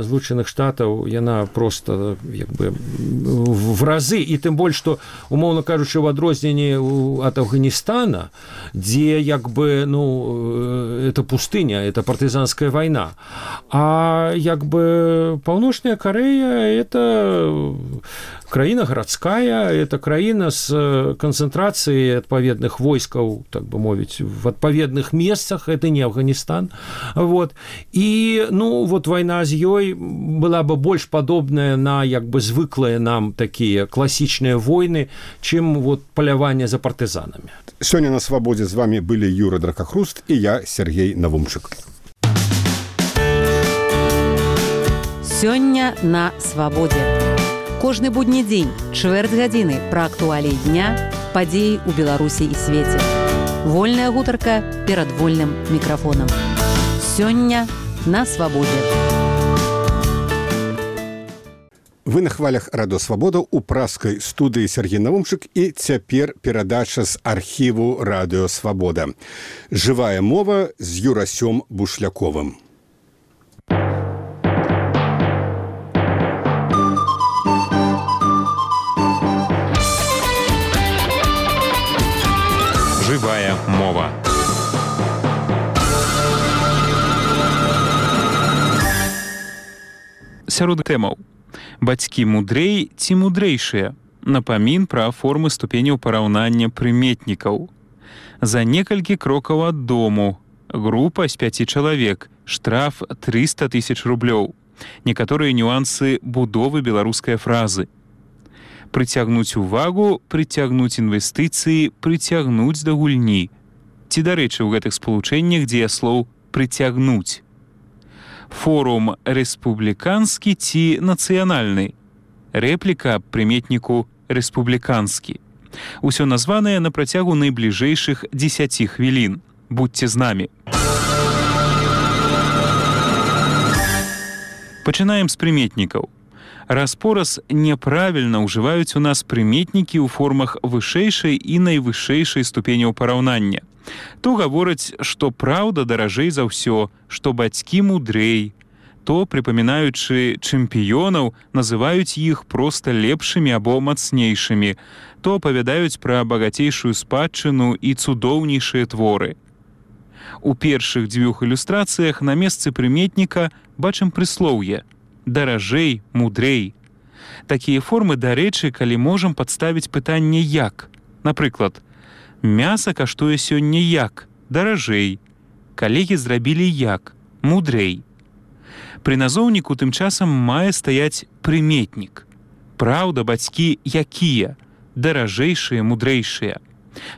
Злучаных Штатаў яна просто як бы в разы, і тым больш, што, умоўна кажучы, у адрозненні ад Афганістана, дзе як бы, это пустыня, это партызанская вайна. А як бы Паўночная Карэя – это краіна гарадская, это краіна з канцэнтрацыяй адпаведных войскаў, так бы мовіць, в адпаведных месцах, это не Афганістан. Вот. І, вайна з ёй была бы больш падобная на як бы звыклыя нам такія класічныя войны, чым паляванне за партызанамі. Сёння на свабодзе з вами былі Юра Дракахруст і я, Сергей Навумчык. Сёння на свабодзе. Кожны будні дзень, чвэрць гадзіны пра актуаліі дня, падзеі ў Беларусі і свеце. Вольная гутарка перад вольным мікрафонам. Сёння на свабодзе. Вы на хвалях Радыё Свабода ў праскай студыі Сергей Навумчык, і цяпер перадача з архіву Радыё Свабода. Жывая мова з Юрасём Бушляковым. Жывая мова. Сярод тэмаў: бацькі мудрэй ці мудрэйшыя, напамін пра формы ступеняў параўнання прыметнікаў, за некалькі крокаў ад дому, група з 5 чалавек, штраф 300 000 рублёў, некаторыя нюансы будовы беларускай фразы, прыцягнуць увагу, прыцягнуць інвестыцыі, прыцягнуць да гульні. Ці, дарэчы, у гэтых спалучэннях дзеяслоў прыцягнуць. Форум рэспубліканскі ці нацыянальны. Рэпліка прыметніку рэспубліканскі. Усё названае на працягу найбліжэйшых 10 хвілін. Будьце з намі. Пачынаем з прыметнікаў. Раз-пораз няправільна ўжываюць у нас прыметнікі ў формах вышэйшай і найвышэйшай ступеняў параўнання. То гавораць, што праўда даражэй за ўсё, што бацькі мудрэй, то, прыпамінаючы чэмпіёнаў, называюць іх проста лепшымі або мацнейшымі, то апавядаюць пра багацейшую спадчыну і цудоўнейшыя творы. У першых 2 ілюстрацыях на месцы прыметніка бачым прыслоўе «даражэй, мудрэй». Такія формы, дарэчы, калі можам падставіць пытанне «як». Напрыклад, мяса каштуе сёння як? Даражэй. Калегі зрабілі як? Мудрэй. Пры назоўніку тым часам мае стаяць прыметнік. Праўда, бацькі якія? Даражэйшыя, мудрэйшыя.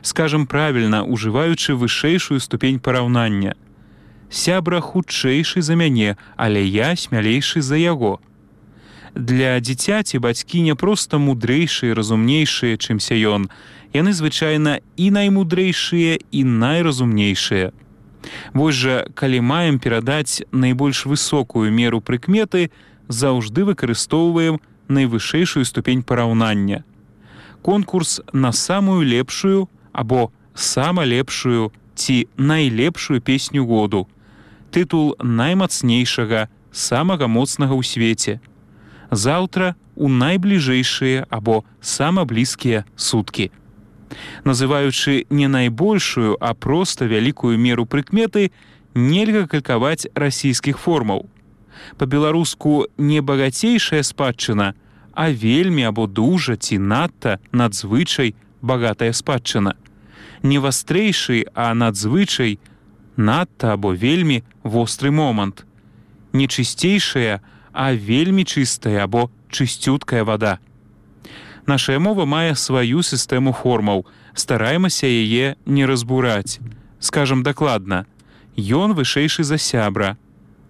Скажам правільна, ужываючы вышэйшую ступень параўнання. Сябра хутчэйшы за мяне, але я смялейшы за яго. Для дзіцяці бацькі не проста мудрэйшыя, разумнейшыя, чымся ён. Яны звычайна і наймудрейшыя, і найразумнейшыя. Вось жа, калі маем перадаць найбольш высокую меру прыкметы, заўжды выкарыстоўваем найвышэйшую ступень параўнання. Конкурс на самую лепшую або сама лепшую ці найлепшую песню году. Тытул наймацнейшага, самага моцнага ў свеце. Заўтра у найбліжэйшыя або сама блізкія суткі. Называючы не найбольшую, а проста вялікую меру прыкметы, нельга калькаваць расійскіх формаў. Па-беларуску не багацейшая спадчына, а вельмі або дужа ці надта, надзвычай багатая спадчына. Не вастрэйшы, а надзвычай, надта або вельмі востры момант. Не чысцейшая, а вельмі чыстая або чысцюткая вада. Нашая мова мае сваю сістэму формаў. Стараемся яе не разбураць. Скажам дакладна, ён вышэйшы за сябра.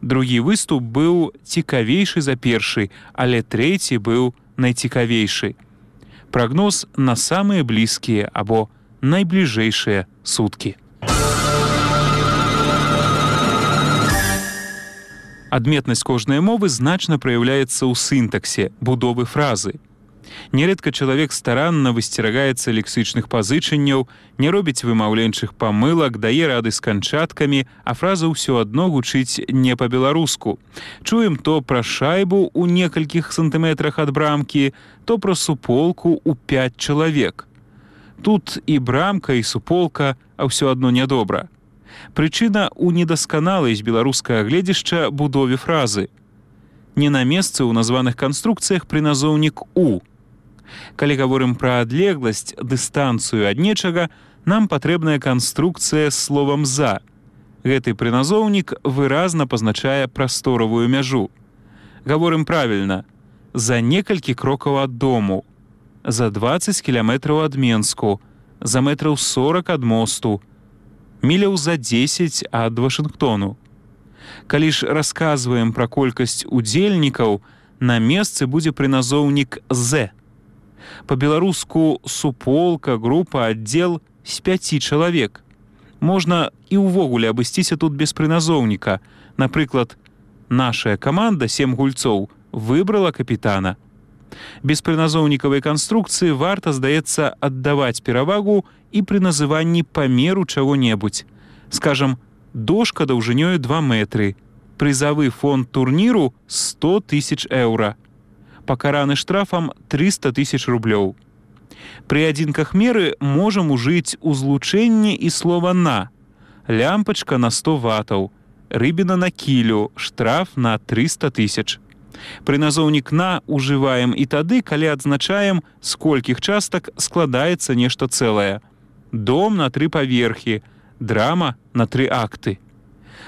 Другі выступ быў цікавейшы за першы, але трэці быў найцікавейшы. Прагноз на самыя блізкія або найбліжэйшыя суткі. Адметнасць кожнай мовы значна праяўляецца ў сінтаксе, будовы фразы. Нередка чалавек старанна высцерагаецца лексычных пазычанняў, не робіць вымаўленчых памылак, дае рады з канчаткамі, а фраза ўсё адно гучыць не па-беларуску. Чуем то пра шайбу ў некалькіх сантыметрах ад брамкі, то пра суполку ў 5 чалавек. Тут і брамка, і суполка, а ўсё адно нядобра. Прычына ў недасканалай з беларускага гледзяшча будове фразы. Не на месцы ў названых канструкцыях прыназоўнік «у». Калі гаворым пра адлегласць, дыстанцыю ад нечага, нам патрэбная канструкцыя з словам «за». Гэты прыназоўнік выразна пазначае прасторавую мяжу. Гаворым правільна. За некалькі крокаў ад дому, за 20 кіламетраў ад Менску, за метраў 40 ад мосту, міляў за 10 ад Вашынгтону. Калі ж расказваем пра колькасць удзельнікаў, на месцы будзе прыназоўнік «з». Па-беларуску суполка, група, аддзел з 5 чалавек. Можна і ўвогуле абысціся тут без прыназоўніка. Напрыклад, нашая каманда 7 гульцоў выбрала капітана. Без прыназоўнікавай канструкцыі варта, здаецца, аддаваць перавагу і пры называнні памеру чаго-небудзь. Скажам, дошка даўжынёю 2 метры. Прызавы фонд турніру 100 000 еўра. Пакараны штрафам 300 000 рублёў. Пры адзінках меры можам ужыць узлучэнне і слова «на». Лямпачка на 100 ватаў, рыбіна на кілю, штраф на 300 000. Прыназоўнік «на» ужываем і тады, калі адзначаем, з колькіх частак складаецца нешта цэлае. Дом на 3 паверхі, драма на 3 акты.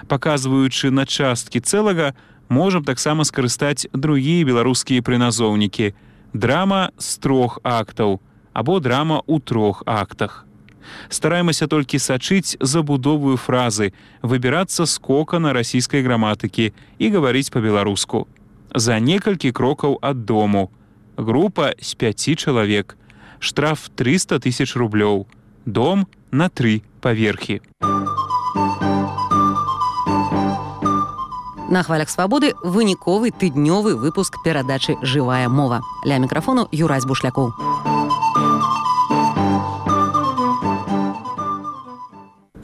Паказваючы на часткі цэлага, можам таксама скарыстаць другія беларускія прыназоўнікі. Драма з 3 актаў або драма ў 3 актах. Стараемся толькі сачыць забудовую фразы, выбірацца з кокана расійскай граматыкі і гаварыць па-беларуску. За некалькі крокаў ад дому. Група з 5 чалавек. Штраф 300 000 рублёў. Дом на 3 паверхі. На хвалях свабоды выніковы тыднёвы выпуск перадачы «Жывая мова». Ля мікрафону Юрась Бушлякоў.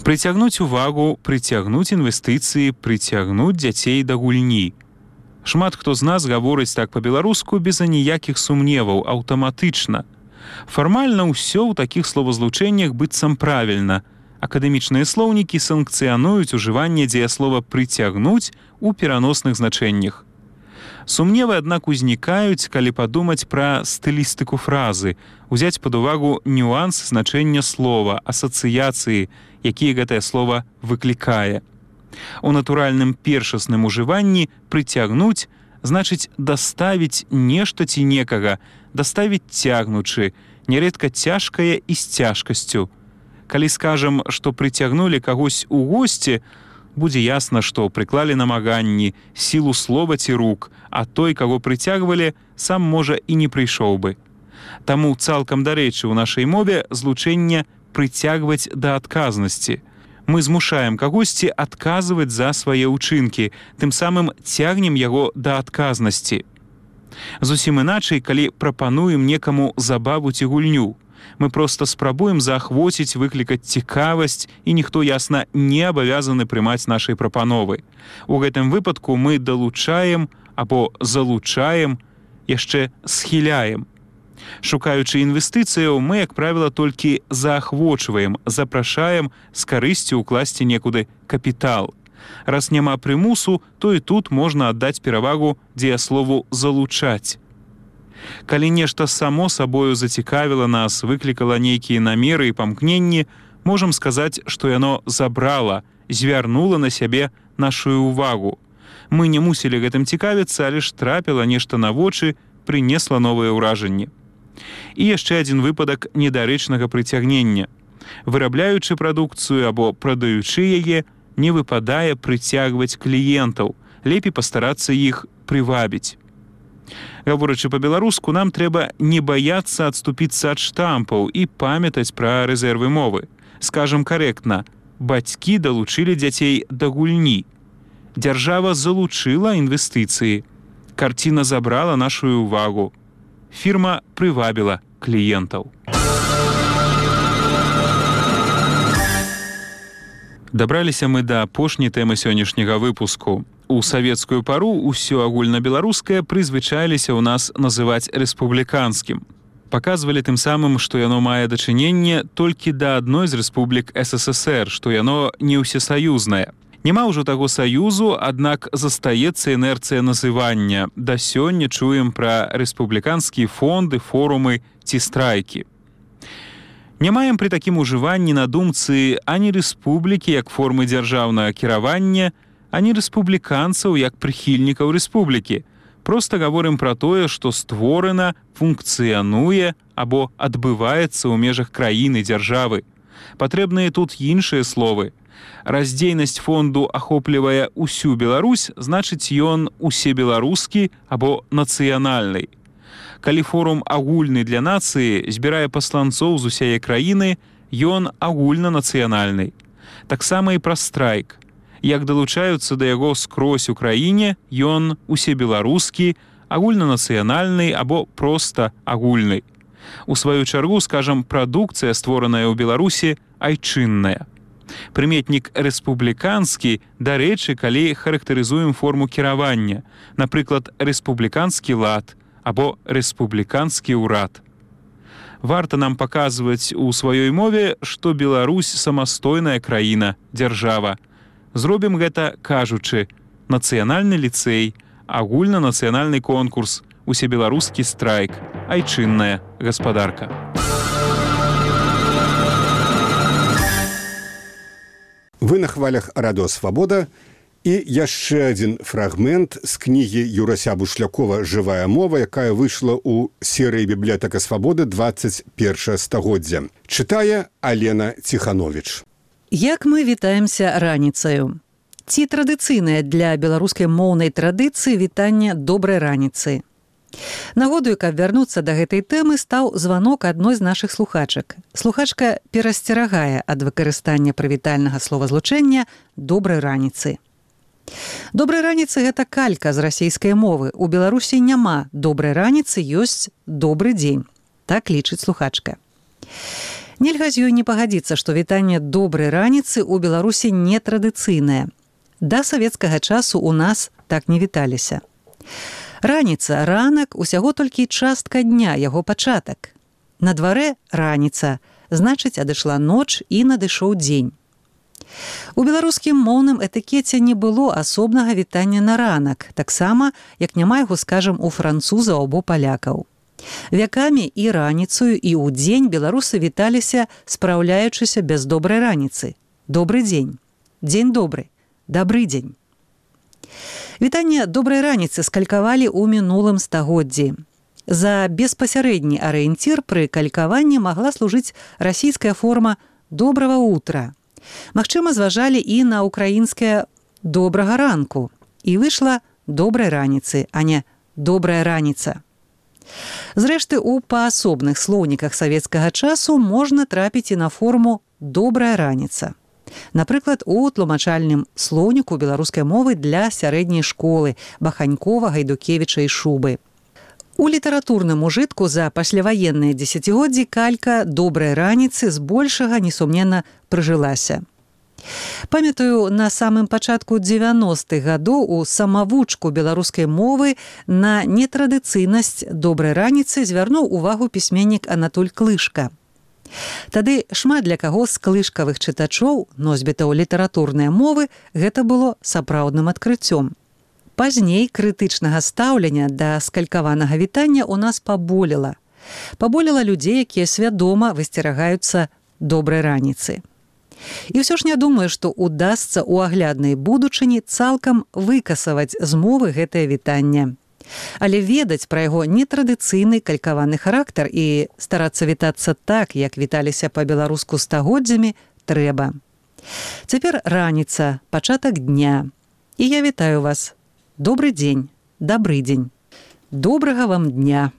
Прыцягнуць увагу, прыцягнуць інвестыцыі, прыцягнуць дзяцей да гульні. Шмат хто з нас гаворыць так па-беларуску без аніякіх сумневаў, аўтаматычна. Фармальна ўсё ў такіх словазлучэннях быццам правільна. Акадэмічныя слоўнікі санкцыянуюць ужыванне дзеяслова «прыцягнуць» у пераносных значэннях. Сумневы, аднак, узнікаюць, калі падумаць пра стылістыку фразы, узяць пад увагу нюанс значэння слова, асацыяцыі, якія гэтае слова выклікае. У натуральным першасным ужыванні «прыцягнуць» значыць даставіць нешта ці некага, даставіць цягнучы, нярэдка цяжкае і з цяжкасцю. Калі скажам, што прыцягнулі кагось у госці, будзе ясна, што прыклалі намаганні, сілу слова ці рук, а той, каго прыцягвалі, сам, можа, і не прыйшоў бы. Таму цалкам дарэчы ў нашай мове злучэнне «прыцягваць да адказнасці». Мы змушаем кагосьці адказваць за свае ўчынкі, тым самым цягнем яго да адказнасці. Зусім іначай, калі прапануем некаму забаву ці гульню. Мы проста спрабуем заахвоціць, выклікаць цікавасць, і ніхто, ясна, не абавязаны прымаць нашай прапановы. У гэтым выпадку мы далучаем або залучаем, яшчэ схіляем. Шукаючы інвестыцыяў, мы, як правіла, толькі заахвочваем, запрашаем з карысцю ўкласці некуды капітал. Раз няма прымусу, то і тут можна аддаць перавагу дзеяслову «залучаць». Калі нешта само сабою зацікавіла нас, выклікала нейкія намеры і памкненні, можам сказаць, што яно забрала, звярнула на сябе нашую увагу. Мы не мусілі гэтым цікавіцца, але ж трапіла нешта на вочы, прынесла новыя ўражанні. І яшчэ адзін выпадак недарэчнага прыцягнення. Вырабляючы прадукцыю або прадаючы яе, не выпадае прыцягваць кліентаў, лепей пастарацца іх прывабіць. Гаворачы па-беларуску, нам трэба не баяцца адступіцца ад штампаў і памятаць пра рэзервы мовы. Скажам карэктна, бацькі далучылі дзяцей да гульні. Дзяржава залучыла інвестыцыі. Карціна забрала нашу ўвагу. фірма прывабіла кліентаў. Дабраліся мы да апошняй тэмы сённяшняга выпуску. У савецкую пару ўсё агульнабеларускае прызвычаіліся ў нас называць рэспубліканскім. Паказвалі тым самым, што яно мае дачыненне толькі да адной з рэспублік СССР, што яно не ўсесаюзнае. Няма ўжо таго саюзу, аднак застаецца інерцыя называння. Да сёння чуем пра рэспубліканскія фонды, форумы ці страйкі. Не маем пры такім ужыванні на думцы ані рэспублікі як формы дзяржаўнага кіравання, ані рэспубліканцаў як прыхільнікаў рэспублікі. Проста гаворым пра тое, што створана, функцыянуе або адбываецца ў межах краіны, дзяржавы. Патрэбныя тут іншыя словы. Раздзейнасць фонду ахоплівае ўсю Беларусь, значыць ён усебеларускі або нацыянальны. Калі форум агульны для нацыі збірае пасланцоў з усяе краіны, ён агульнанацыянальны. Таксама і пра страйк. Як далучаюцца да яго скрозь у краіне, ён усебеларускі, агульнанацыянальны або проста агульны. У сваю чаргу, скажам, прадукцыя, створаная ў Беларусі, айчынная. Прыметнік рэспубліканскі, дарэчы, калі характарызуем форму кіравання, напрыклад, рэспубліканскі лад або рэспубліканскі ўрад. Варта нам паказваць у сваёй мове, што Беларусь самастойная краіна, дзяржава. Зробім гэта, кажучы, нацыянальны ліцэй, агульнанацыянальны конкурс, усебеларускі страйк, айчынная гаспадарка. Вы на хвалях Радыё Свабода. І яшчэ адзін фрагмент з кнігі Юрася Бушлякова «Жывая мова», якая выйшла ў серыі «Бібліятэка Свабоды» 21 стагоддзя. Чытае Алена Ціхановіч. Як мы вітаемся раніцаю? Ці традыцыйнае для беларускай моўнай традыцыі вітанне добрай раніцы? Нагодаю, каб вярнуцца да гэтай тэмы, стаў званок адной з нашых слухачак. Слухачка перасцерагае ад выкарыстання прывітальнага словазлучэння «добрай раніцы». Добрай раніцы – гэта калька з расейскай мовы. У Беларусі няма добрай раніцы, ёсць добры дзень. Так лічыць слухачка. Нельга з ёй не пагадзіцца, што вітанне добрай раніцы ў Беларусі нетрадыцыйнае. Да савецкага часу у нас так не віталіся. Раніца, ранак – усяго толькі частка дня, яго пачатак. На дварэ раніца, значыць, адышла ноч і надышоў дзень. У беларускім моўным этыкеце не было асобнага вітання на ранак, таксама, як няма яго, скажам, у французаў або палякаў. Вякамі і раніцаю, і ў дзень беларусы віталіся, спраўляючыся без добрай раніцы. Добры дзень, дзень добры, дабры дзень. Вітанне добрай раніцы скалькавалі ў мінулым стагоддзі. За беспасярэдні арыенцір пры калькаванні магла служыць расійская форма «добрага утра». Магчыма, зважалі і на украінскае «добрага ранку». І выйшла «добрай раніцы», а не «добрая раніца». Зрэшты, у паасобных слоўніках савецкага часу можна трапіць і на форму «добрая раніца». Напрыклад, у тлумачальным слоўніку беларускай мовы для сярэдняй школы Баханькова, Гайдукевіча і Шубы. У літаратурным ужытку за пасляваенныя дзесяцігоддзі калька «добрай раніцы» збольшага, несумненна, прыжылася. Памятаю, на самым пачатку 90-х гадоў у самавучку беларускай мовы на нетрадыцыйнасць добрай раніцы звярнуў увагу пісьменнік Анатоль Клышка. Тады шмат для каго з клышкавых чытачоў, носьбітаў літаратурнай мовы, гэта было сапраўдным адкрыццём. Пазней крытычнага стаўлення да скалькаванага вітання ў нас паболела. Паболела людзей, якія свядома высцерагаюцца добрай раніцы. І ўсё ж не думаю, што удасца ў агляднай будучыні цалкам выкасаваць з мовы гэтае вітанне. Але ведаць пра яго нетрадыцыйны калькаваны характар і старацца вітацца так, як віталіся па-беларуску стагоддзямі, трэба. Цяпер раніца, пачатак дня. І я вітаю вас. Добры дзень, дабры дзень. Добрага вам дня.